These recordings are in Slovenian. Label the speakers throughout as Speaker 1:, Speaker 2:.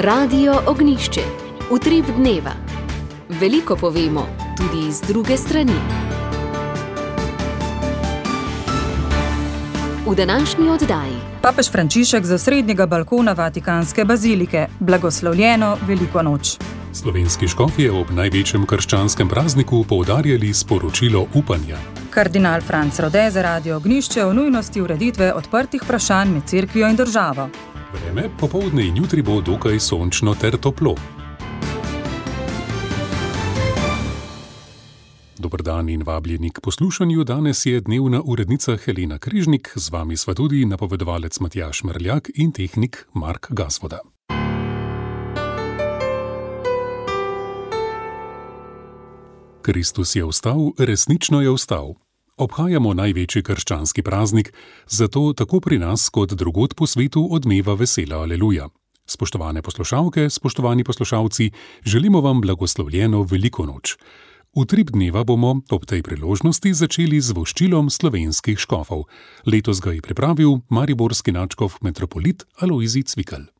Speaker 1: Radio Ognjišče. Utrip dneva. Veliko povemo, tudi iz druge strani. V današnji oddaji.
Speaker 2: Papež Frančišek z osrednjega balkona Vatikanske bazilike. Blagoslovljeno veliko noč.
Speaker 3: Slovenski škofje ob največjem krščanskem prazniku poudarjali sporočilo upanja.
Speaker 2: Kardinal Franc Rode za Radio Ognjišče o nujnosti ureditve odprtih vprašanj med cerkvijo in državo.
Speaker 3: Vreme popoldne in jutri bo dokaj sončno ter toplo. Dober dan in vabljeni k poslušanju. Danes je dnevna urednica Helena Križnik, z vami sva tudi napovedovalec Matjaž Merljak in tehnik Mark Gazvoda. Kristus je vstal, resnično je vstal. Obhajamo največji krščanski praznik, zato tako pri nas kot drugod po svetu odmeva vesela aleluja. Spoštovane poslušalke, spoštovani poslušalci, želimo vam blagoslovljeno veliko noč. Utrip dneva bomo ob tej priložnosti začeli z voščilom slovenskih škofov. Letos ga je pripravil mariborski nadškof metropolit Alojzij Cvikl.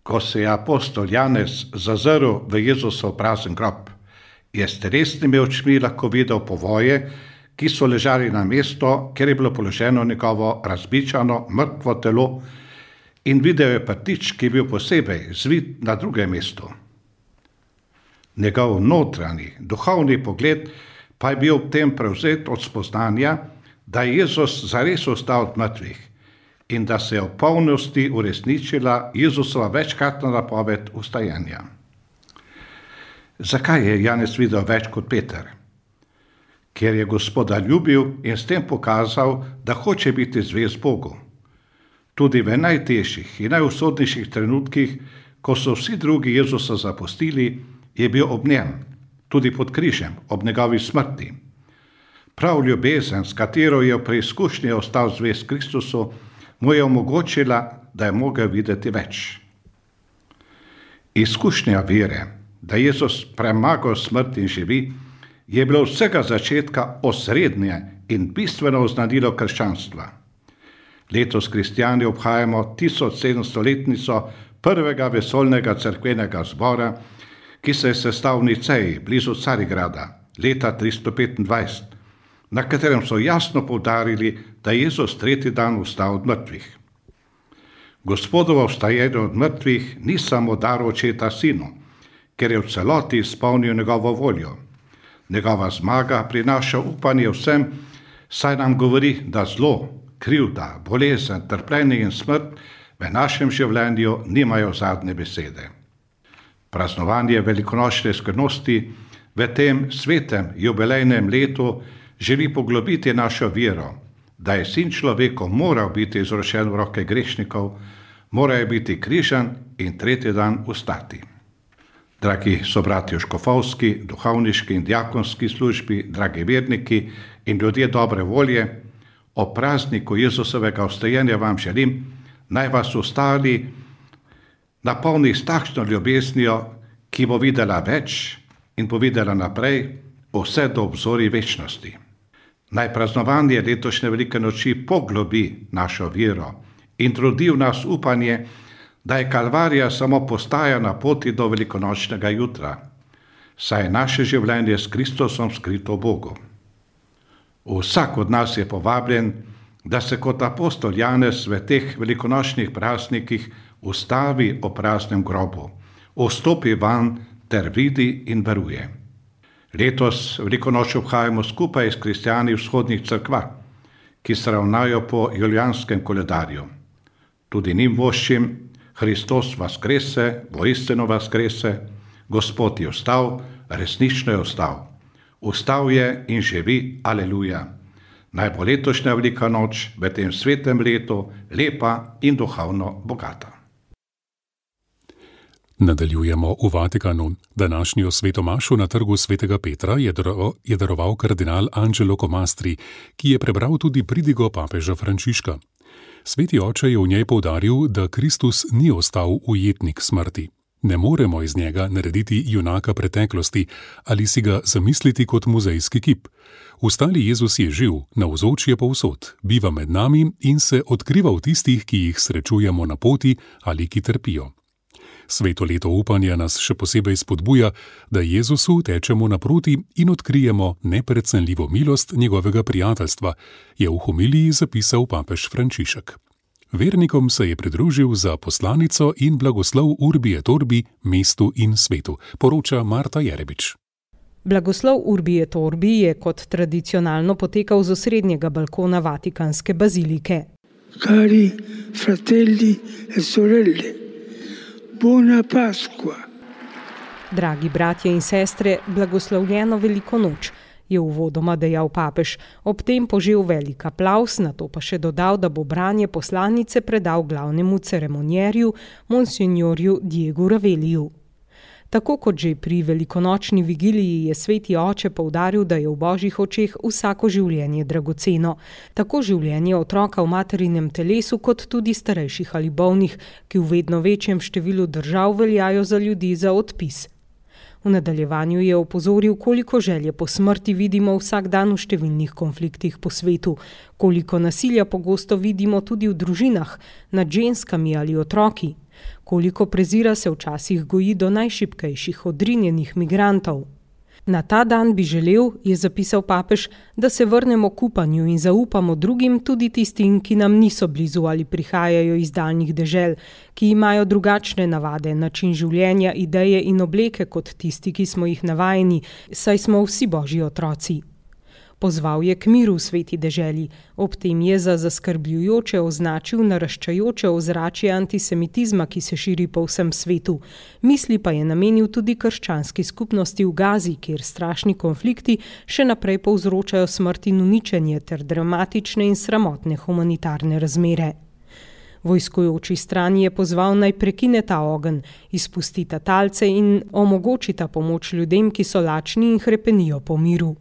Speaker 4: Ko se je apostol Janez zazrl v Jezusov prazen grob, je s resnimi očmi lahko videl povoje, ki so ležali na mesto, kjer je bilo položeno njegovo razbičano, mrtvo telo, in videl je prtič, ki je bil posebej zvit na drugem mestu. Njegov notranji, duhovni pogled pa je bil ob tem prevzet od spoznanja, da je Jezus zares vstal od mrtvih in da se je v polnosti uresničila Jezusova večkratna napoved vstajanja. Zakaj je Janez videl več kot Peter? Ker je Gospoda ljubil in s tem pokazal, da hoče biti zvest Bogu. Tudi v najtežjih in najusodnejših trenutkih, ko so vsi drugi Jezusa zapustili, je bil ob njem, tudi pod križem, ob njegovi smrti. Prav ljubezen, s katero je v preizkušnji ostal zvest Kristusu, mu je omogočila, da je mogel videti več. Izkušnja vere, da Jezus premagal smrt in živi, je bilo vsega začetka osrednje in bistveno oznanilo krščanstva. Letos kristjani obhajamo 1700-letnico prvega vesoljnega cerkvenega zbora, ki se je sestal v Niceji, blizu Carigrada, leta 325, na katerem so jasno poudarili, da je Jezus tretji dan vstal od mrtvih. Gospodovo vstajanje od mrtvih ni samo dar očeta sinu, ker je v celoti izpolnil njegovo voljo. Njegova zmaga prinaša upanje vsem, saj nam govori, da zlo, krivda, bolezen, trpljenje in smrt v našem življenju nimajo zadnje besede. Praznovanje velikonočne skrbnosti v tem svetem jubilejnem letu želi poglobiti našo vero, da je sin človeku moral biti izročen v roke grešnikov, moral biti križan in tretji dan vstati. Dragi sobratje v škofovski, duhovniški in diakonski službi, dragi verniki in ljudje dobre volje, o prazniku Jezusovega vstajanja vam želim, naj vas ostali napolni s takšno ljubeznijo, ki bo videla več in bo videla naprej vse do obzorij večnosti. Naj praznovanje letošnje velike noči poglobi našo vero in trudi v nas upanje, da je Kalvarija samo postaja na poti do velikonočnega jutra, saj je naše življenje s Kristusom skrito v Bogu. Vsak od nas je povabljen, da se kot apostol Janez v teh velikonočnih praznikih ustavi ob praznem grobu, vstopi van ter vidi in veruje. Letos velikonoč obhajamo skupaj s kristjani vzhodnih cerkva, ki se ravnajo po julijanskem koledarju. Tudi njim voščim: Hristos vaskrese, voistino vaskrese, Gospod je vstal, resnično je vstal. Vstal je in živi, aleluja. Naj bo letošnja velika noč v tem svetem letu lepa in duhovno bogata.
Speaker 3: Nadaljujemo v Vatikanu. Današnjo svetomašo na trgu svetega Petra je daroval kardinal Angelo Comastri, ki je prebral tudi pridigo papeža Frančiška. Sveti oče je v njej poudaril, da Kristus ni ostal ujetnik smrti. Ne moremo iz njega narediti junaka preteklosti ali si ga zamisliti kot muzejski kip. Vstali Jezus je živ, navzoč je povsod, biva med nami in se odkriva v tistih, ki jih srečujemo na poti ali ki trpijo. Sveto leto upanja nas še posebej spodbuja, da Jezusu tečemo naproti in odkrijemo neprecenljivo milost njegovega prijateljstva, je v homiliji zapisal papež Frančišek. Vernikom se je pridružil za poslanico in blagoslov Urbi et Orbi mestu in svetu, poroča Marta Jerebič.
Speaker 5: Blagoslov Urbi et Orbi je kot tradicionalno potekal z osrednjega balkona Vatikanske bazilike.
Speaker 6: Cari fratelli e sorelle, buona Pasqua.
Speaker 5: Dragi bratje in sestre, blagoslovljeno veliko noč, je uvodoma dejal papež, ob tem požel velik aplavz, nato pa še dodal, da bo branje poslanice predal glavnemu ceremonjerju, monsignorju Diegu Raveliju. Tako kot že pri velikonočni vigiliji je sveti oče poudaril, da je v božjih očeh vsako življenje dragoceno. Tako življenje otroka v materinem telesu, kot tudi starejših ali bolnih, ki v vedno večjem številu držav veljajo za ljudi za odpis. V nadaljevanju je opozoril, koliko želje po smrti vidimo vsak dan v številnih konfliktih po svetu, koliko nasilja pogosto vidimo tudi v družinah, nad ženskami ali otroki, koliko prezira se včasih goji do najšibkejših odrinjenih migrantov. Na ta dan bi želel, je zapisal papež, da se vrnemo k upanju in zaupamo drugim, tudi tistim, ki nam niso blizu ali prihajajo iz daljnih dežel, ki imajo drugačne navade, način življenja, ideje in obleke kot tisti, ki smo jih navajeni, saj smo vsi božji otroci. Pozval je k miru v sveti deželi, ob tem je za zaskrbljujoče označil naraščajoče ozračje antisemitizma, ki se širi po vsem svetu. Misli pa je namenil tudi krščanski skupnosti v Gazi, kjer strašni konflikti še naprej povzročajo smrt in uničenje ter dramatične in sramotne humanitarne razmere. Vojskujoči strani je pozval naj prekine ta ogenj, izpustita talce in omogočita pomoč ljudem, ki so lačni in hrepenijo po miru.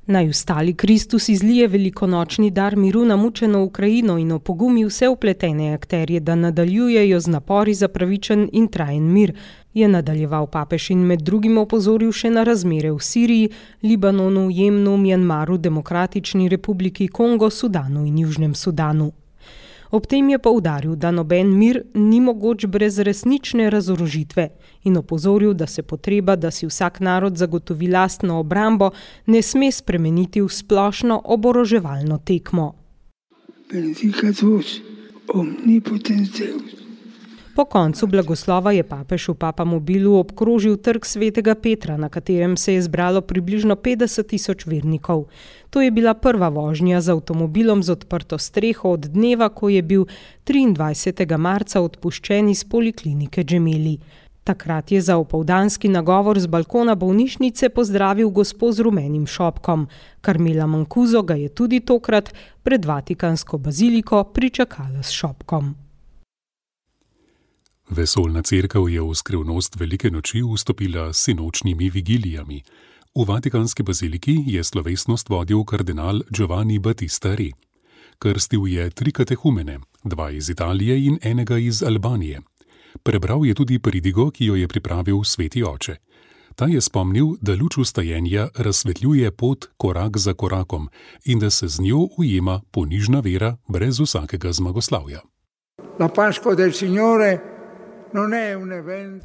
Speaker 5: Naj ustali Kristus izlije velikonočni dar miru na mučeno Ukrajino in opogumi vse vpletene akterje, da nadaljujejo z napori za pravičen in trajen mir, je nadaljeval papež in med drugim opozoril še na razmere v Siriji, Libanonu, Jemnu, Mjanmaru, Demokratični republiki Kongo, Sudanu in Južnem Sudanu. Ob tem je poudaril, da noben mir ni mogoč brez resnične razorožitve in opozoril, da se potreba, da si vsak narod zagotovi lastno obrambo, ne sme spremeniti v splošno oboroževalno tekmo.
Speaker 6: Benedicat vos, omnipotens Deus.
Speaker 5: Po koncu blagoslova je papež v Papamobilu obkrožil trg svetega Petra, na katerem se je zbralo približno 50.000 vernikov. To je bila prva vožnja z avtomobilom z odprto streho od dneva, ko je bil 23. marca odpuščen iz poliklinike Gemelli. Takrat je za opoldanski nagovor z balkona bolnišnice pozdravil gospo z rumenim šopkom. Carmela Mancuso ga je tudi tokrat pred Vatikansko baziliko pričakala s šopkom.
Speaker 3: Vesoljna cerkev je v skrivnost velike noči vstopila s sinočnimi vigilijami. V Vatikanski baziliki je slovesnost vodil kardinal Giovanni Battista Re. Krstil je 3 katehumene, 2 iz Italije in enega iz Albanije. Prebral je tudi pridigo, ki jo je pripravil sveti oče. Ta je spomnil, da luč vstajenja razsvetljuje pot korak za korakom in da se z njo ujema ponižna vera brez vsakega zmagoslavja.
Speaker 6: La Pasqua del Signore.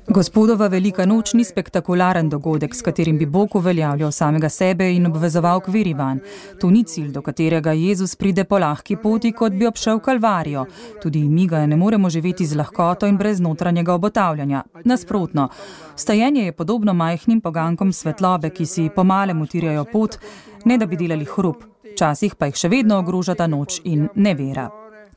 Speaker 2: Gospodova velika noč ni spektakularen dogodek, s katerim bi Bog uveljavljal samega sebe in obvezoval k veri vanj. To ni cilj, do katerega Jezus pride po lahki poti, kot bi obšel Kalvarijo. Tudi mi ga ne moremo živeti z lahkoto in brez notranjega obotavljanja. Nasprotno, vstajenje je podobno majhnim pogankom svetlobe, ki si pomalem utirjajo pot, ne da bi delali hrup. Včasih pa jih še vedno ogrožata noč in nevera.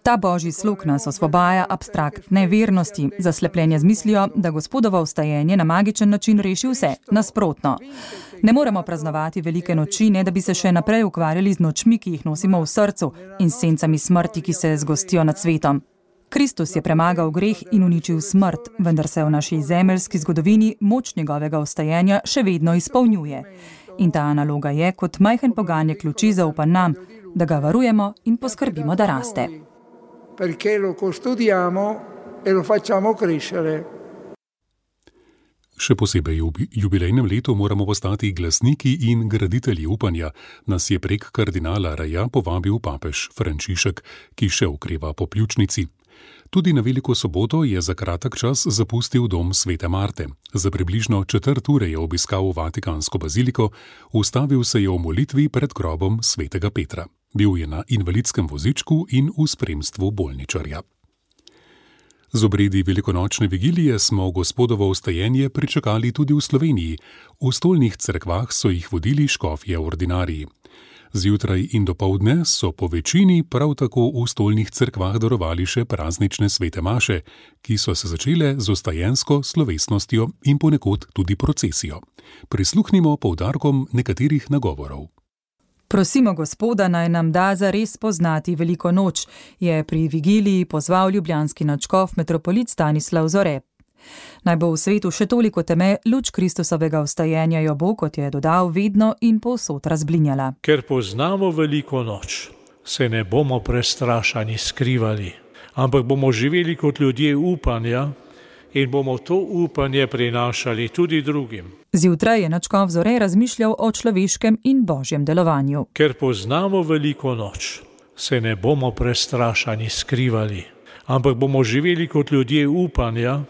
Speaker 2: Ta božji slog nas osvobaja abstraktne vernosti, zaslepljenje z mislijo, da Gospodovo vstajenje na magičen način reši vse, nasprotno. Ne moremo praznovati velike noči, ne da bi se še naprej ukvarjali z nočmi, ki jih nosimo v srcu in s sencami smrti, ki se zgostijo nad svetom. Kristus je premagal greh in uničil smrt, vendar se v naši zemeljski zgodovini moč njegovega vstajenja še vedno izpolnjuje. In ta naloga je, kot majhen poganjek luči zaupan nam, da ga varujemo in poskrbimo, da raste.
Speaker 6: Perché lo custodiamo e lo facciamo crescere.
Speaker 3: Še posebej v jubilejnem letu moramo postati glasniki in graditelji upanja, nas je prek kardinala Reja povabil papež Frančišek, ki še okreva po pljučnici. Tudi na Veliko soboto je za kratek čas zapustil dom Svete Marte. Za približno 1/4 je obiskal Vatikansko baziliko, ustavil se je v molitvi pred grobom svetega Petra. Bil je na invalidskem vozičku in v spremstvu bolničarja. Z obredi velikonočne vigilije smo Gospodovo vstajenje pričakali tudi v Sloveniji. V stolnih cerkvah so jih vodili škofje ordinariji. Zjutraj in dopoldne so po večini prav tako v stolnih cerkvah darovali še praznične svete maše, ki so se začele z vstajensko slovesnostjo in ponekod tudi procesijo. Prisluhnimo poudarkom nekaterih nagovorov.
Speaker 2: Prosimo Gospoda, naj nam da zares poznati veliko noč, je pri vigiliji pozval ljubljanski nadškof metropolit Stanislav Zore. Naj bo v svetu še toliko teme, luč Kristusovega vstajenja jo bo, kot je dodal, vedno in povsod razblinjala.
Speaker 7: Ker poznamo veliko noč, se ne bomo prestrašani skrivali, ampak bomo živeli kot ljudje upanja in bomo to upanje prinašali tudi drugim.
Speaker 2: Zjutraj je nadškof Zore razmišljal o človeškem in božjem delovanju.
Speaker 7: Ker poznamo veliko noč, se ne bomo prestrašani skrivali, ampak bomo živeli kot ljudje upanja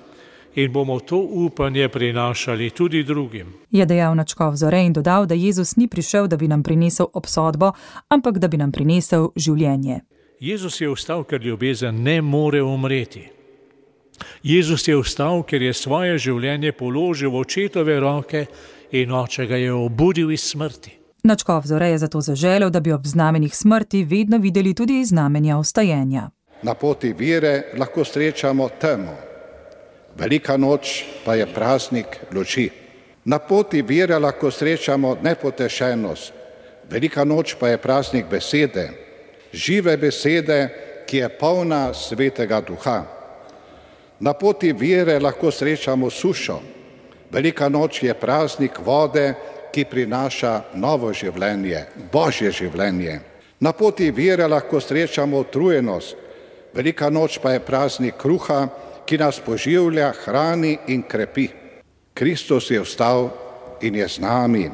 Speaker 7: in bomo to upanje prinašali tudi drugim.
Speaker 2: Je dejal nadškof Zore in dodal, da Jezus ni prišel, da bi nam prinesel obsodbo, ampak da bi nam prinesel življenje.
Speaker 7: Jezus je vstal, ker ljubezen ne more umreti. Jezus je vstal, ker je svoje življenje položil v očetove roke in oče ga je obudil iz smrti.
Speaker 2: Nadškof Zore je zato zaželel, da bi ob znamenjih smrti vedno videli tudi znamenja vstajenja.
Speaker 4: Na poti vere lahko srečamo temo. Velika noč pa je praznik luči. Na poti vere lahko srečamo nepotešenost. Velika noč pa je praznik besede, žive besede, ki je polna svetega duha. Na poti vere lahko srečamo sušo. Velika noč je praznik vode, ki prinaša novo življenje, božje življenje. Na poti vere lahko srečamo utrujenost. Velika noč pa je praznik kruha, ki nas poživlja, hrani in krepi. Kristus je vstal in je z nami.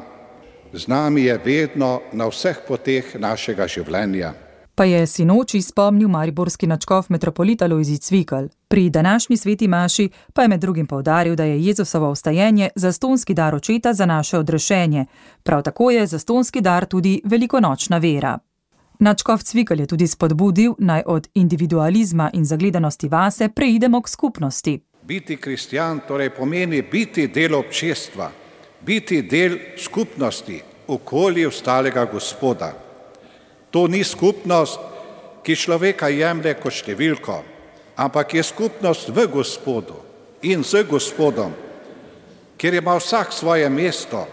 Speaker 4: Z nami je vedno na vseh poteh našega življenja.
Speaker 2: Pa je sinoči spomnil mariborski nadškof metropolit Alojzij Cvikl. Pri današnji sveti maši pa je med drugim poudaril, da je Jezusovo vstajenje zastonski dar očeta za naše odrešenje. Prav tako je zastonski dar tudi velikonočna vera. Nadškof Cvikl je tudi spodbudil, naj od individualizma in zagledanosti vase preidemo k skupnosti.
Speaker 4: Biti kristjan torej pomeni biti del občestva, biti del skupnosti, okoli ostalega Gospoda. To ni skupnost, ki človeka jemlje kot številko, ampak je skupnost v Gospodu in z Gospodom, kjer ima vsak svoje mesto,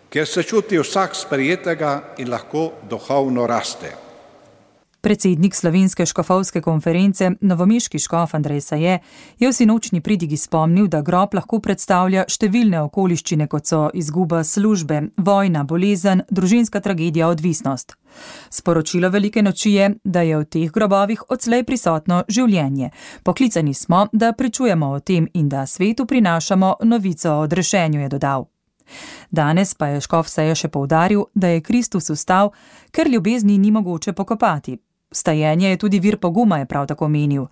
Speaker 4: kjer se čuti vsak sprejetega in lahko duhovno raste.
Speaker 2: Predsednik Slovenske škofovske konference, novomeški škof Andrej Saje, je v sinočni pridigi spomnil, da grob lahko predstavlja številne okoliščine, kot so izguba službe, vojna, bolezen, družinska tragedija, odvisnost. Sporočilo velike noči je, da je v teh grobovih odslej prisotno življenje. Poklicani smo, da pričujemo o tem in da svetu prinašamo novico o odrešenju, je dodal. Danes pa je škof Saje še poudaril, da je Kristus vstal, ker ljubezni ni mogoče pokopati. Vstajenje je tudi vir poguma, je prav tako menil.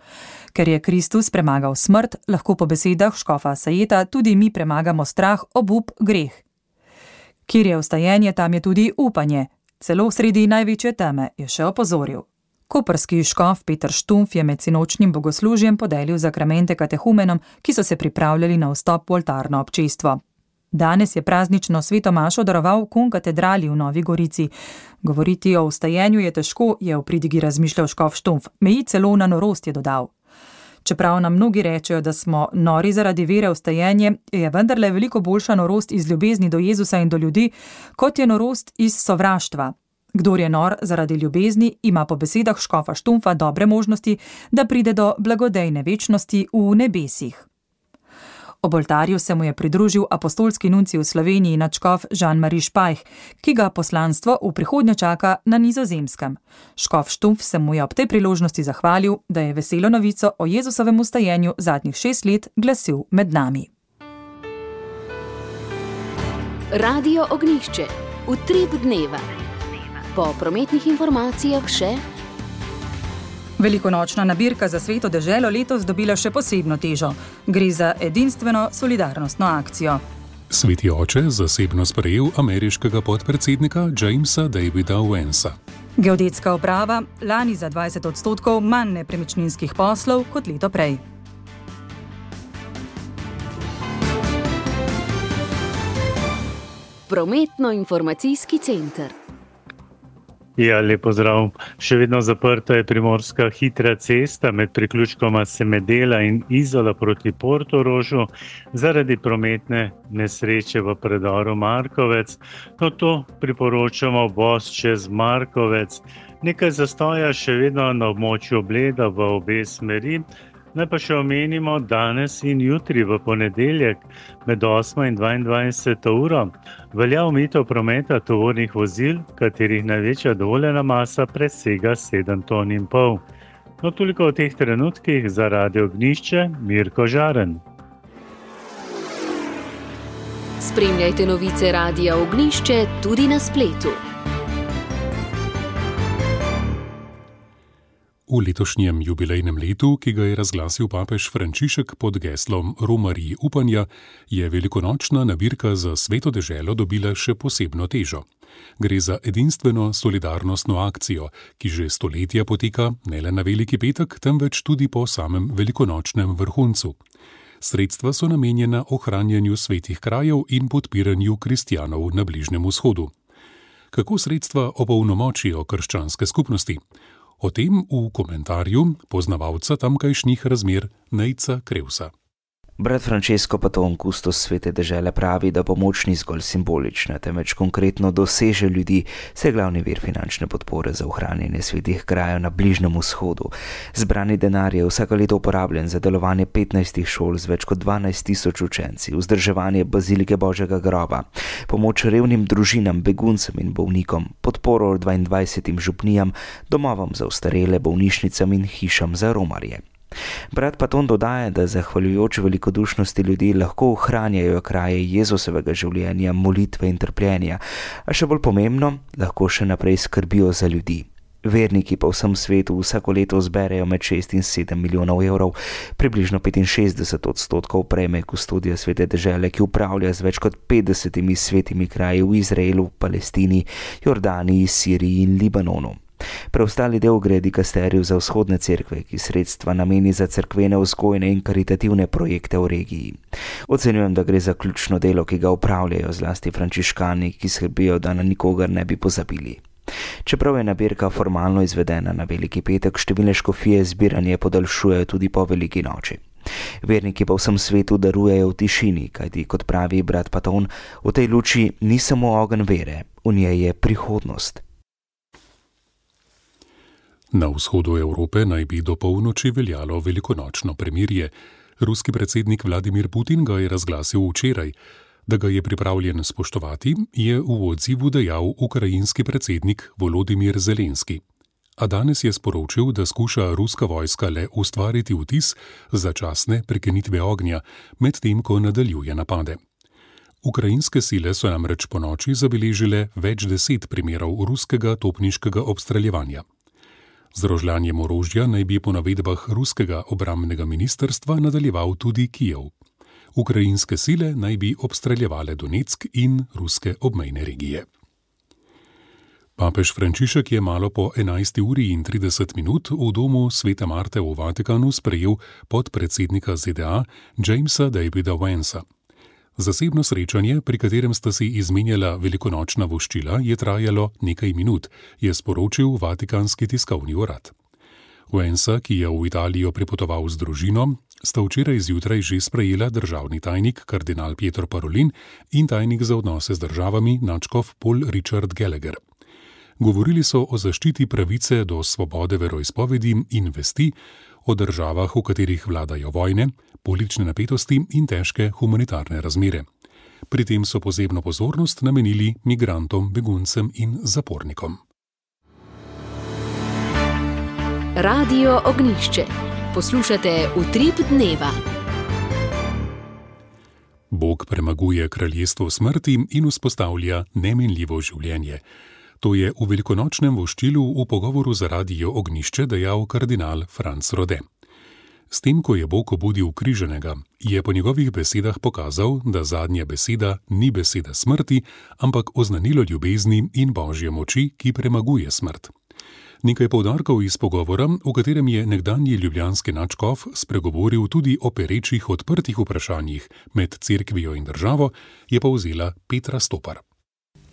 Speaker 2: Ker je Kristus premagal smrt, lahko po besedah škofa Sajeta tudi mi premagamo strah, obup, greh. Kjer je vstajenje, tam je tudi upanje. Celo sredi največje teme, je še opozoril. Koprski škof Peter Štumpf je med sinočnim bogoslužjem podelil zakramente katehumenom, ki so se pripravljali na vstop v oltarno občestvo. Danes je praznično sveto mašo daroval v konkatedrali v Novi Gorici. Govoriti o vstajenju je težko, je v pridigi razmišljal škof Štumpf. Meji celo na norost, je dodal. Čeprav nam mnogi rečejo, da smo nori zaradi vere v vstajenje, je vendarle veliko boljša norost iz ljubezni do Jezusa in do ljudi, kot je norost iz sovraštva. Kdor je nor zaradi ljubezni, ima po besedah škofa Štumpfa dobre možnosti, da pride do blagodejne večnosti v nebesih. Ob oltarju se mu je pridružil apostolski nuncij v Sloveniji nadškof Jean-Marie Špajh, ki ga poslanstvo v prihodnje čaka na Nizozemskem. Škof Štumpf se mu je ob tej priložnosti zahvalil, da je veselo novico o Jezusovem vstajenju zadnjih 6 let glasil med nami.
Speaker 1: Radio Ognjišče, utrip dneva. Po prometnih informacijah še
Speaker 2: Velikonočna nabirka za Sveto deželo letos dobila še posebno težo. Gre za edinstveno solidarnostno akcijo.
Speaker 3: Sveti oče zasebno sprejel ameriškega podpredsednika Jamesa Davida Owensa.
Speaker 2: Geodetska uprava lani za 20% manj nepremičninskih poslov kot leto prej.
Speaker 1: Prometno-informacijski center.
Speaker 8: Ja, lep pozdrav. Še vedno zaprta je primorska hitra cesta med priključkoma Semedela in Izola proti Portorožu zaradi prometne nesreče v predoru Markovec. No, to priporočamo voz čez Markovec. Nekaj zastoja še vedno na območju Bleda v obe smeri. Naj pa še omenimo danes in jutri v ponedeljek med 8 in 22 uro velja omejitev prometa tovornih vozil, katerih največja dovoljena masa presega 7,5 ton. No, toliko o teh trenutkih za Radio Ognjišče, Mirko Žaren.
Speaker 1: Spremljajte novice Radia Ognjišče tudi na spletu.
Speaker 3: V letošnjem jubilejnem letu, ki ga je razglasil papež Frančišek pod geslom Romarij upanja, je velikonočna nabirka za Sveto deželo dobila še posebno težo. Gre za edinstveno solidarnostno akcijo, ki že stoletja poteka ne le na Veliki petek, temveč tudi po samem velikonočnem vrhuncu. Sredstva so namenjena ohranjanju svetih krajev in podpiranju kristjanov na Bližnjem vzhodu. Kako sredstva opolnomočijo krščanske skupnosti? O tem v komentarju poznavalca tamkajšnjih razmer Nejca Krevsa.
Speaker 9: Brat Francesco Paton, kustos Svete dežele, pravi, da pomoč ni zgolj simbolična, temveč konkretno doseže ljudi, saj glavni vir finančne podpore za ohranjanje svetih krajev na Bližnjem vzhodu. Zbrani denar je vsako leto uporabljen za delovanje 15 šol z več kot 12,000 učenci, vzdrževanje bazilike Božjega groba, pomoč revnim družinam, beguncem in bolnikom, podporo 22 župnijam, domovom za ostarele, bolnišnicam in hišam za romarje. Brat Paton dodaja, da zahvaljujoč velikodušnosti ljudi lahko ohranjajo kraje Jezusovega življenja, molitve in trpljenja, a še bolj pomembno, lahko še naprej skrbijo za ljudi. Verniki po vsem svetu vsako leto zberejo med 6 in 7 milijonov evrov, približno 65% prejme kustodija Svete dežele, ki upravlja z več kot 50 svetimi kraji v Izraelu, Palestini, Jordaniji, Siriji in Libanonu. Preostali del gre dikasteriju za vzhodne cerkve, ki sredstva nameni za cerkvene vzgojne in karitativne projekte v regiji. Ocenjujem, da gre za ključno delo, ki ga upravljajo zlasti frančiškani, ki skrbijo, da na nikogar ne bi pozabili. Čeprav je nabirka formalno izvedena na Veliki petek, številne škofije zbiranje podaljšujejo tudi po Veliki noči. Verniki po vsem svetu darujejo v tišini, kajti, kot pravi brat Paton, v tej luči ni samo ogenj vere, v njej je prihodnost.
Speaker 3: Na vzhodu Evrope naj bi do polnoči veljalo velikonočno premirje. Ruski predsednik Vladimir Putin ga je razglasil včeraj. Da ga je pripravljen spoštovati, je v odzivu dejal ukrajinski predsednik Volodimir Zelenski. A danes je sporočil, da skuša ruska vojska le ustvariti vtis začasne prekinitve ognja, medtem ko nadaljuje napade. Ukrajinske sile so namreč ponoči zabeležile več 10 primerov ruskega topniškega obstreljevanja. Z rožljanjem orožja naj bi po navedbah ruskega obrambnega ministrstva nadaljeval tudi Kijev. Ukrajinske sile naj bi obstreljevale Donetsk in ruske obmejne regije. Papež Frančišek je malo po 11:30 v domu Svete Marte v Vatikanu sprejel podpredsednika ZDA Jamesa Davida Owensa. Zasebno srečanje, pri katerem sta si izmenjala velikonočna voščila, je trajalo nekaj minut, je sporočil Vatikanski tiskovni urad. Owensa, ki je v Italijo pripotoval z družino, sta včeraj zjutraj že sprejela državni tajnik kardinal Pietro Parolin in tajnik za odnose z državami nadškof Paul Richard Gallagher. Govorili so o zaščiti pravice do svobode veroizpovedi in vesti, o državah, v katerih vladajo vojne, politične napetosti in težke humanitarne razmere. Pri tem so posebno pozornost namenili migrantom, beguncem in zapornikom.
Speaker 1: Radio Ognjišče. Poslušate Utrip dneva.
Speaker 3: Bog premaguje kraljestvo smrti in vzpostavlja nemenljivo življenje. To je v velikonočnem voščilu v pogovoru za Radio Ognjišče dejal kardinal Franc Rode. S tem, ko je Bog obudil križenega, je po njegovih besedah pokazal, da zadnja beseda ni beseda smrti, ampak oznanilo ljubezni in božje moči, ki premaguje smrt. Nekaj poudarkov iz pogovora, v katerem je nekdanji ljubljanski nadškof spregovoril tudi o perečih odprtih vprašanjih med cerkvijo in državo, je povzela Petra Stopar.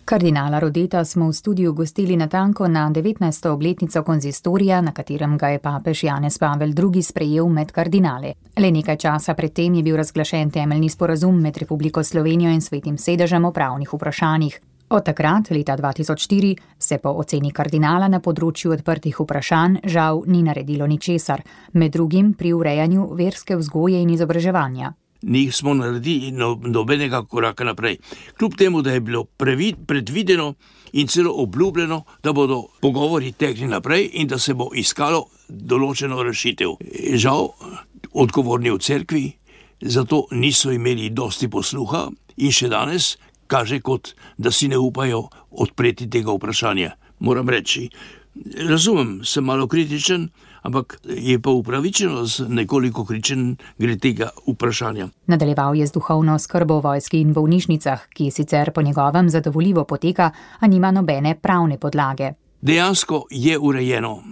Speaker 10: Kardinala Rodeta smo v studiu gostili natanko na 19. obletnico konzistorija, na katerem ga je papež Janez Pavel II. Sprejel med kardinale. Le nekaj časa predtem je bil razglašen temeljni sporazum med Republiko Slovenijo in Svetim sedežem o pravnih vprašanjih. Od takrat, leta 2004, se po oceni kardinala na področju odprtih vprašanj žal ni naredilo ničesar, med drugim pri urejanju verske vzgoje in izobraževanja.
Speaker 11: Nismo naredili nobenega koraka naprej. Kljub temu, da je bilo predvideno in celo obljubljeno, da bodo pogovori tekli naprej in da se bo iskalo določeno rešitev. Žal, odgovorni v cerkvi zato niso imeli dosti posluha in še danes kaže kot, da si ne upajo odpreti tega vprašanja. Moram reči, razumem, sem malo kritičen, ampak je pa upravičeno nekoliko kritičen glede tega vprašanja.
Speaker 10: Nadaljeval je z duhovno skrbo v vojski in bolnišnicah, ki sicer po njegovem zadovoljivo poteka, a nima nobene pravne podlage.
Speaker 11: Dejansko je urejeno,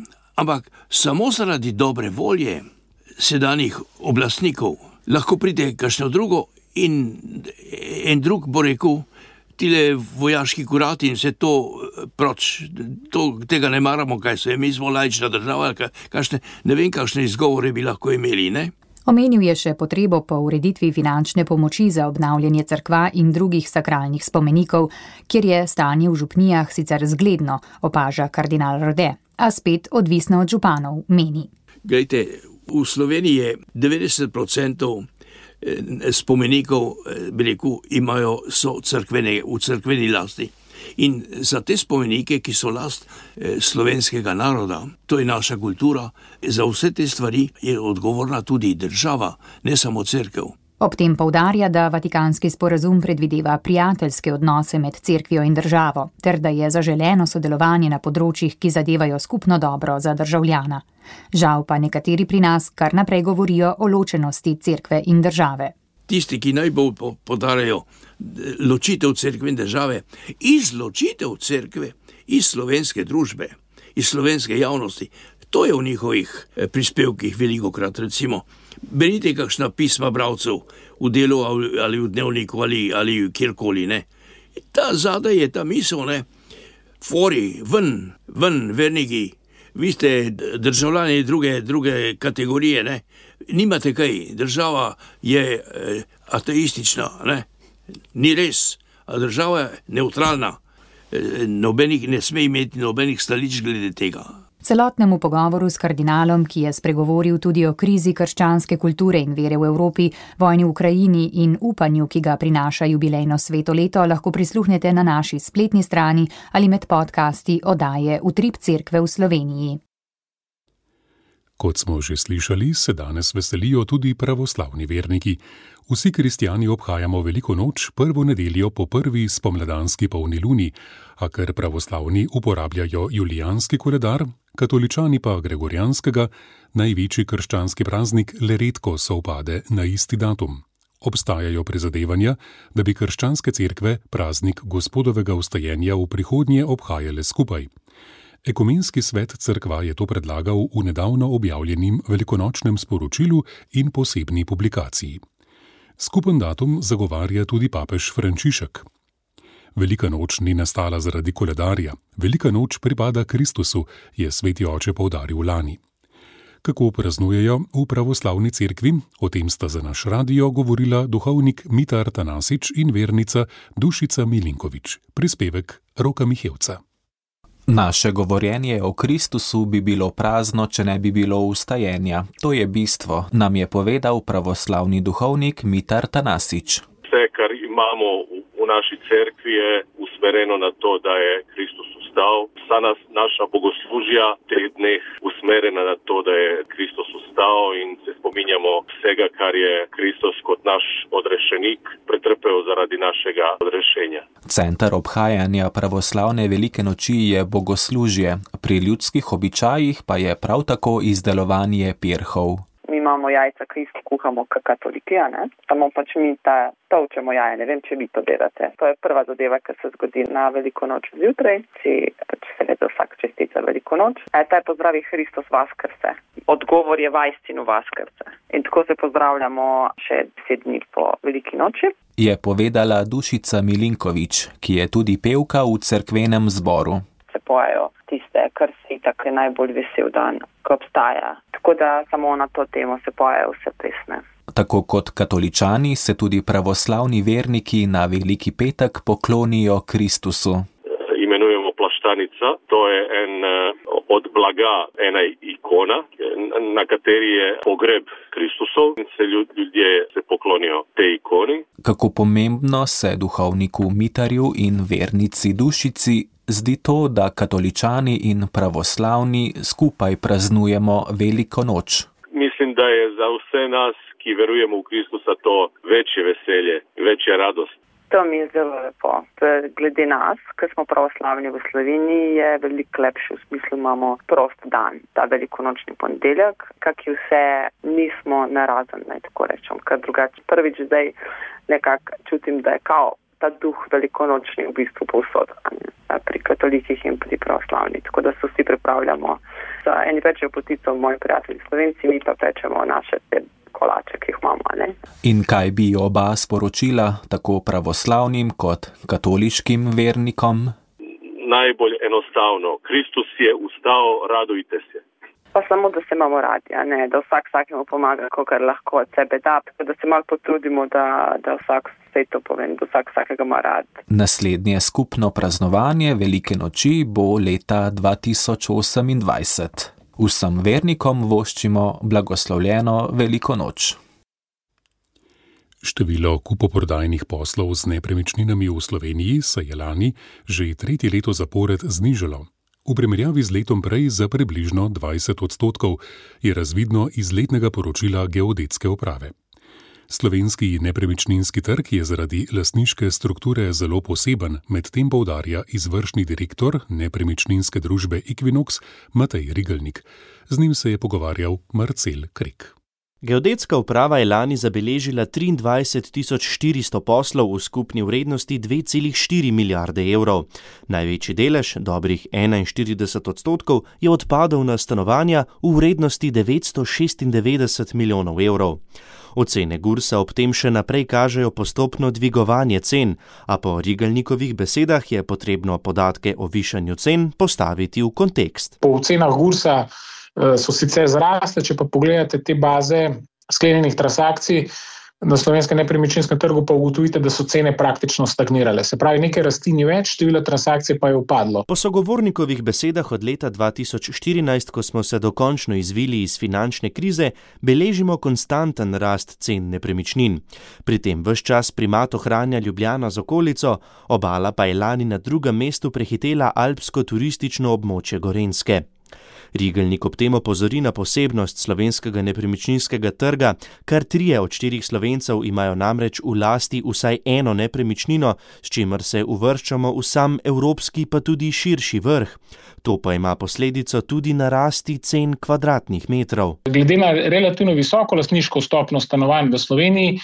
Speaker 11: ampak samo zaradi dobre volje sedanjih oblastnikov lahko pride kakšno drugo in en drug bo rekel, tile vojaški kurati in vse to proč, tega ne maramo, kaj se je, mi smo laična država, ne vem, kakšne izgovore bi lahko imeli, ne?
Speaker 10: Omenil je še potrebo po ureditvi finančne pomoči za obnavljanje cerkva in drugih sakralnih spomenikov, kjer je stanje v župnijah sicer zgledno, opaža kardinal Rode, a spet odvisno od županov, meni.
Speaker 11: Glejte, v Sloveniji je 90% spomenikov, so v cerkveni lasti. In za te spomenike, ki so last slovenskega naroda, to je naša kultura, za vse te stvari je odgovorna tudi država, ne samo cerkev.
Speaker 10: Ob tem poudarja, da Vatikanski sporazum predvideva prijateljske odnose med cerkvijo in državo, ter da je zaželeno sodelovanje na področjih, ki zadevajo skupno dobro za državljana. Žal pa nekateri pri nas kar naprej govorijo o ločenosti cerkve in države.
Speaker 11: Tisti, ki najbolj podarajo ločitev cerkve in države, izločitev cerkve iz slovenske družbe, iz slovenske javnosti, to je v njihovih prispevkih velikokrat, recimo. Berite kakšna pisma bralcev v Delu ali v Dnevniku ali kjerkoli, ne. Ta zadaj je ta misel, ne. Fori, ven, verniki, vi ste državljani druge kategorije, ne. Nimate kaj, država je ateistična, ne. Ni res, a država je neutralna. Nobenih ne sme imeti nobenih stališč glede tega.
Speaker 10: Celotnemu pogovoru s kardinalom, ki je spregovoril tudi o krizi krščanske kulture in vere v Evropi, vojni v Ukrajini in upanju, ki ga prinaša jubilejno sveto leto, lahko prisluhnete na naši spletni strani ali med podcasti oddaje Utrip cerkve v Sloveniji.
Speaker 3: Kot smo že slišali, se danes veselijo tudi pravoslavni verniki. Vsi kristjani obhajamo veliko noč, prvo nedeljo po prvi spomladanski polni luni, a ker pravoslavni uporabljajo julijanski koledar, katoličani pa gregorijanskega, največji krščanski praznik le redko sovpade na isti datum. Obstajajo prizadevanja, da bi krščanske cerkve praznik Gospodovega vstajenja v prihodnje obhajale skupaj. Ekumenski svet cerkva je to predlagal v nedavno objavljenim velikonočnem sporočilu in posebni publikaciji. Skupen datum zagovarja tudi papež Frančišek. Velika noč ni nastala zaradi koledarja, velika noč pripada Kristusu, je sveti oče poudaril lani. Kako praznujejo v pravoslavni cerkvi, o tem sta za naš radio govorila duhovnik Mitar Tanasič in vernica Dušica Milinkovič, prispevek Roka Mihevca.
Speaker 12: Naše govorjenje o Kristusu bi bilo prazno, če ne bi bilo vstajenja. To je bistvo, nam je povedal pravoslavni duhovnik Mitar Tanasič.
Speaker 13: Vse, kar imamo v naši cerkvi, je usmerjeno na to, da je Kristus vstajal. vstal. Vsa naša bogoslužja v teh dneh usmerjena na to, da je Kristus vstal in se spominjamo vsega, kar je Kristus kot naš odrešenik pretrpel zaradi našega odrešenja.
Speaker 12: Center obhajanja pravoslavne velike noči je bogoslužje, pri ljudskih običajih pa je prav tako izdelovanje pirhov.
Speaker 14: Mi imamo jajca, ki jih kuhamo katoliki, samo pač mi tolčemo jaje, ne vem, če vi to delate. To je prva zadeva, ki se zgodi na veliko noč zjutraj, si pač seveda vsak čestica veliko noč. Ta je pozdravi Hristos Vaskrse. Odgovor je vajstinu Vaskrse. In tako se pozdravljamo še 10 dni po veliki noči.
Speaker 12: Je povedala Dušica Milinković, ki je tudi pevka v cerkvenem zboru.
Speaker 14: Se pojejo tiste, kar si tako je najbolj vesel dan, ko obstaja. Tako da samo na to temo se pojejo vse pesme.
Speaker 12: Tako kot katoličani se tudi pravoslavni verniki na Veliki petek poklonijo Kristusu.
Speaker 13: Imenujemo plaštanica, to je od blaga ena ikona, na kateri je pogreb Kristusov in se ljudje se poklonijo tej ikoni.
Speaker 12: Kako pomembno se duhovniku Mitarju in vernici Dušici zdi to, da katoličani in pravoslavni skupaj praznujemo Veliko noč.
Speaker 13: Mislim, da je za vse nas, ki verujemo v Kristusa, to večje veselje, večja radost.
Speaker 14: To mi je zelo lepo. Glede nas, ki smo pravoslavni v Sloveniji, je veliko lepši, v smislu imamo prost dan, ta velikonočni ponedeljek, kaki vse nismo narazen, naj tako rečem, ker drugače prvič zdaj nekako čutim, da je kao ta duh velikonočni v bistvu povsod, pri katolikih in pri pravoslavni, tako da se vsi pripravljamo. Eni pečejo potico, moji prijatelji Slovenci, mi pa pečemo naše kolače, ki jih imamo.
Speaker 12: In kaj bi oba sporočila tako pravoslavnim kot katoliškim vernikom?
Speaker 13: Najbolj enostavno. Kristus je vstal, radujte se.
Speaker 14: Pa samo, da se imamo radi, da vsak vsakemu pomaga, kolikor lahko od sebe da, da se malo potrudimo, da vsak vse to povem, da vsak vsakega ima rad.
Speaker 12: Naslednje skupno praznovanje Velike noči bo leta 2028. Vsem vernikom voščimo blagoslovljeno Veliko noč.
Speaker 3: Število kupoprodajnih poslov z nepremičninami v Sloveniji se je lani že 3. leto zapored znižalo. V primerjavi z letom prej za približno 20%, je razvidno iz letnega poročila Geodetske uprave. Slovenski nepremičninski trg je zaradi lastniške strukture zelo poseben, medtem poudarja izvršni direktor nepremičninske družbe Equinox Matej Rigelnik. Z njim se je pogovarjal Marcel Krek.
Speaker 15: Geodetska uprava je lani zabeležila 23.400 poslov v skupni vrednosti 2,4 milijarde evrov. Največji delež, dobrih 41%, je odpadel na stanovanja v vrednosti 996 milijonov evrov. Ocene Gursa ob tem še naprej kažejo postopno dvigovanje cen, a po Rigelnikovih besedah je potrebno podatke o višanju cen postaviti v kontekst.
Speaker 16: Po ocenah Gursa so sicer zrasle, če pa pogledate te baze sklenjenih transakcij na slovenskem nepremičninskem trgu, pa ugotovite, da so cene praktično stagnirale. Se pravi, nekaj rasti ni več, število transakcij pa je upadlo.
Speaker 15: Po sogovornikovih besedah od leta 2014, ko smo se dokončno izvili iz finančne krize, beležimo konstanten rast cen nepremičnin. Pri tem ves čas primat ohranja Ljubljana z okolico, Obala pa je lani na drugem mestu prehitela alpsko turistično območje Gorenjske. Rigelnik ob tem opozori na posebnost slovenskega nepremičninskega trga, kar 3 od 4 Slovencev imajo namreč v lasti vsaj eno nepremičnino, s čimer se uvrščamo v sam evropski pa tudi širši vrh. To pa ima posledico tudi na rasti cen kvadratnih metrov.
Speaker 16: Glede na relativno visoko lastniško stopnjo stanovanj v Sloveniji,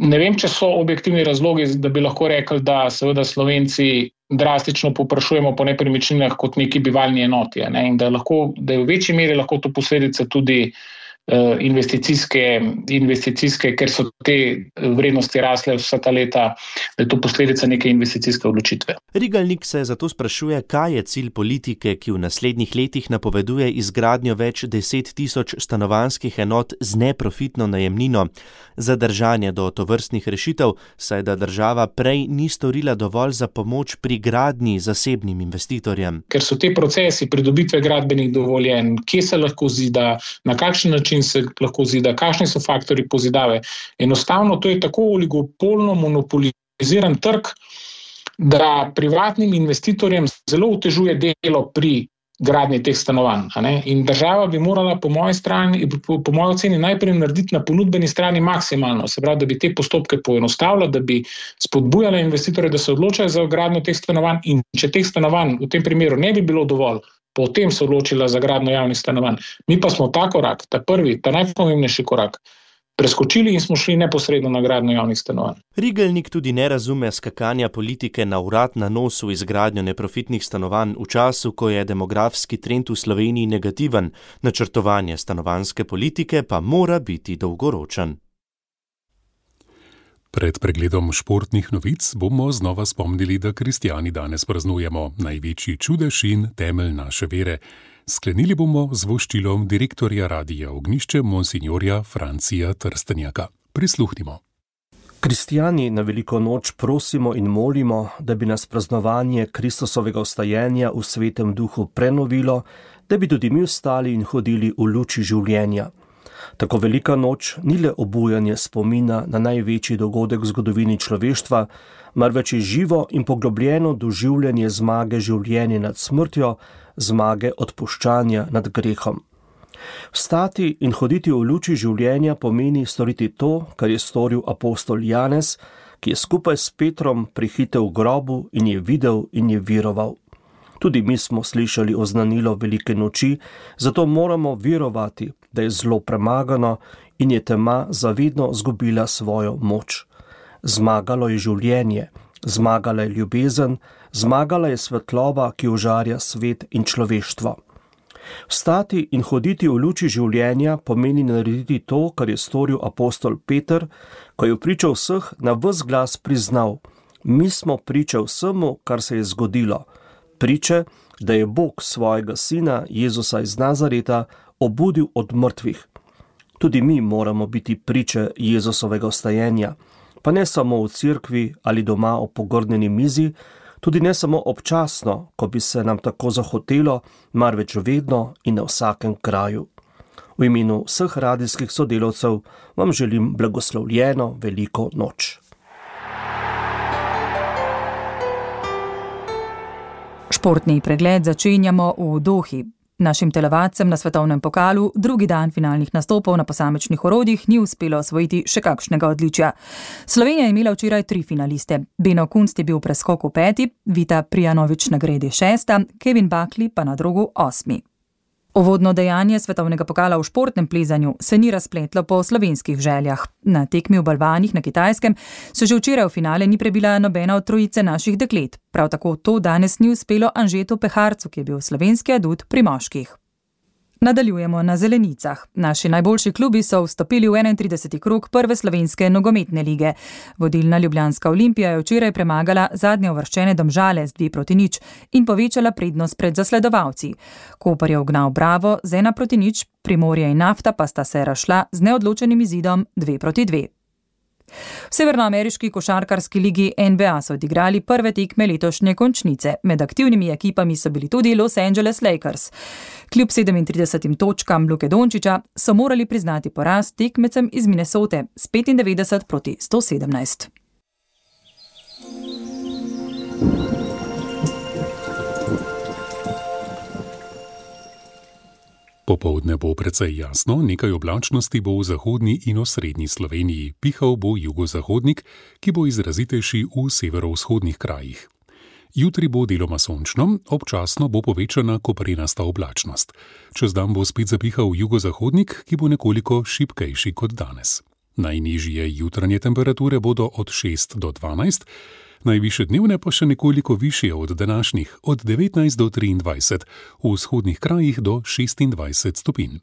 Speaker 16: ne vem, če so objektivni razlogi, da bi lahko rekli, da seveda Slovenci drastično povprašujemo po nepremičninah kot neki bivalni enoti, in da je v večji meri lahko to posledica tudi investicijske, ker so te vrednosti rasle vsa ta leta, da je to posledica neke investicijske odločitve.
Speaker 15: Rigelnik se zato sprašuje, kaj je cilj politike, ki v naslednjih letih napoveduje izgradnjo več 10.000 stanovanjskih enot z neprofitno najemnino. Zadržanje do tovrstnih rešitev, saj da država prej ni storila dovolj za pomoč pri gradnji zasebnim investitorjem.
Speaker 16: Ker so te procesi pridobitve gradbenih dovoljenj, kje se lahko zida, na kakšen način se lahko zida, kakšni so faktorji pozidave. Enostavno to je tako oligopolno monopoliziran trg, da privatnim investitorjem zelo otežuje delo pri gradnji teh stanovanj. In država bi morala po moji oceni najprej narediti na ponudbeni strani maksimalno, se pravi, da bi te postopke poenostavila, da bi spodbujala investitorje, da se odločajo za gradnjo teh stanovanj, in če teh stanovanj v tem primeru ne bi bilo dovolj, potem se odločila za gradnjo javnih stanovanj. Mi pa smo ta korak, ta prvi, ta najpomembnejši korak, preskočili in smo šli neposredno na gradnjo javnih stanovanj.
Speaker 15: Rigelnik tudi ne razume skakanja politike na vrat na nos v izgradnjo neprofitnih stanovanj v času, ko je demografski trend v Sloveniji negativen, načrtovanje stanovanjske politike pa mora biti dolgoročen.
Speaker 3: Pred pregledom športnih novic bomo znova spomnili, da kristjani danes praznujemo največji čudež in temelj naše vere. Sklenili bomo z voščilom direktorja Radia Ognjišče, monsinjorja Francija Trstenjaka. Prisluhnimo.
Speaker 17: Kristjani na veliko noč prosimo in molimo, da bi nas praznovanje Kristusovega vstajenja v svetem duhu prenovilo, da bi tudi mi vstali in hodili v luči življenja. Tako velika noč ni le obujanje spomina na največji dogodek v zgodovini človeštva, marveč je živo in poglobljeno doživljanje zmage življenja nad smrtjo, zmage odpuščanja nad grehom. Vstati in hoditi v luči življenja pomeni storiti to, kar je storil apostol Janez, ki je skupaj s Petrom prihitel v grobu in je videl in je veroval. Tudi mi smo slišali oznanilo velike noči, zato moramo verovati, da je zlo premagano in je tema zavedno zgubila svojo moč. Zmagalo je življenje, zmagala je ljubezen, zmagala je svetloba, ki ožarja svet in človeštvo. Vstati in hoditi v luči življenja pomeni narediti to, kar je storil apostol Peter, ko je v priča vseh na ves glas priznal: mi smo priče vsemu, kar se je zgodilo. Priče, da je Bog svojega sina Jezusa iz Nazareta obudil od mrtvih. Tudi mi moramo biti priče Jezusovega vstajenja, pa ne samo v cerkvi ali doma ob pogrnjeni mizi, tudi ne samo občasno, ko bi se nam tako zahotelo, marveč vedno in na vsakem kraju. V imenu vseh radijskih sodelavcev vam želim blagoslovljeno veliko noč.
Speaker 2: Športni pregled začenjamo v Dohi. Našim telovadcem na svetovnem pokalu drugi dan finalnih nastopov na posamičnih orodjih ni uspelo osvojiti še kakšnega odličja. Slovenija je imela včeraj 3 finaliste. Beno Kunst je bil v preskoku 5., Vita Prijanović na gredi 6., Kevin Buckley pa na drogu 8. Uvodno dejanje svetovnega pokala v športnem plezanju se ni razpletlo po slovenskih željah. Na tekmi v balvanih na Kitajskem se že včeraj v finale ni prebila nobena od trojice naših deklet. Prav tako to danes ni uspelo Anžetu Peharcu, ki je bil slovenski adut pri moških. Nadaljujemo na zelenicah. Naši najboljši klubi so vstopili v 31. krog prve slovenske nogometne lige. Vodilna ljubljanska Olimpija je včeraj premagala zadnje uvrščene Domžale z 2-0 in povečala prednost pred zasledovalci. Koper je ugnal Bravo z 1-0, Primorje in Nafta pa sta se razšla z neodločenim izidom 2-2. V severnoameriški košarkarski ligi NBA so odigrali prve tekme letošnje končnice. Med aktivnimi ekipami so bili tudi Los Angeles Lakers. Kljub 37 točkam Luke Dončića so morali priznati poraz tekmecem iz Minnesote s 95-117.
Speaker 3: Popoldne bo precej jasno, nekaj oblačnosti bo v zahodni in osrednji Sloveniji, pihal bo jugozahodnik, ki bo izrazitejši v severovzhodnih krajih. Jutri bo deloma sončno, občasno bo povečana koprenasta oblačnost. Čez dan bo spet zapihal jugozahodnik, ki bo nekoliko šibkejši kot danes. Najnižje jutranje temperature bodo od 6 do 12, najvišje dnevne pa še nekoliko višje od današnjih, od 19 do 23, v vzhodnih krajih do 26 stopinj.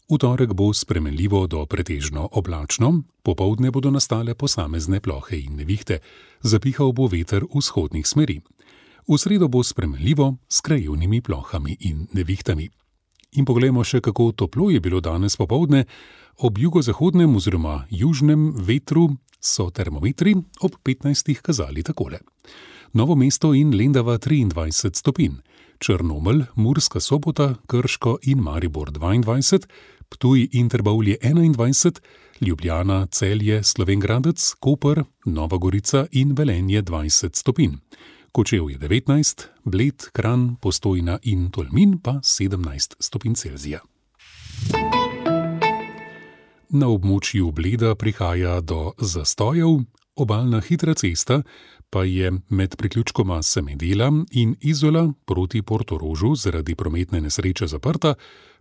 Speaker 3: V torek bo spremenljivo do pretežno oblačno, popoldne bodo nastale posamezne plohe in nevihte, zapihal bo veter vzhodnih smeri. V sredo bo spremenljivo s krajevnimi plohami in nevihtami. In poglejmo še, kako toplo je bilo danes popoldne. Ob jugozahodnem oziroma južnem vetru so termometri ob 15 kazali takole. Novo mesto in Lendava 23 stopinj, Črnomelj, Murska Sobota, Krško in Maribor 22, Ptuj in Trbovlje 21, Ljubljana, Celje, Slovenj Gradec, Koper, Nova Gorica in Velenje 20 stopinj. Kočevje 19, Bled, Kranj, Postojna in Tolmin pa 17 stopinj Celzija. Na območju Bleda prihaja do zastojev, obalna hitra cesta pa je med priključkoma Semedela in Izola proti Portorožu zaradi prometne nesreče zaprta,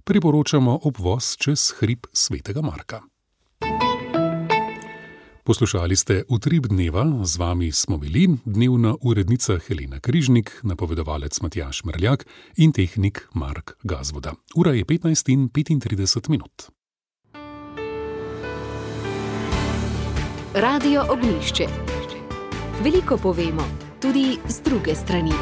Speaker 3: priporočamo obvoz čez hrib Svetega Marka. Poslušali ste Utrip dneva, z vami smo bili dnevna urednica Helena Križnik, napovedovalec Matjaž Merljak in tehnik Mark Gazvoda. Ura je 15:35.
Speaker 1: Radio Ognjišče. Veliko povemo, tudi z druge strani.